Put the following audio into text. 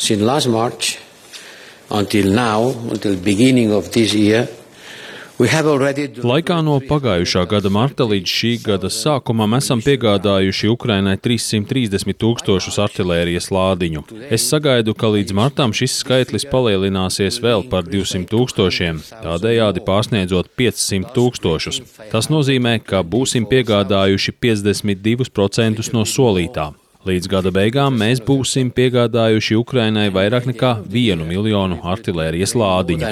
since last March until now, until beginning of this year, Laikā no pagājušā gada marta līdz šī gada sākumam esam piegādājuši Ukrainai 330 000 artilērijas lādiņu. Es sagaidu, ka līdz martam šis skaitlis palielināsies vēl par 200 000, tādējādi pārsniedzot 500 000. Tas nozīmē, ka būsim piegādājuši 52% no solītā. Līdz gada beigām mēs būsim piegādājuši Ukrainai vairāk nekā 1 miljonu artilērijas lādiņu.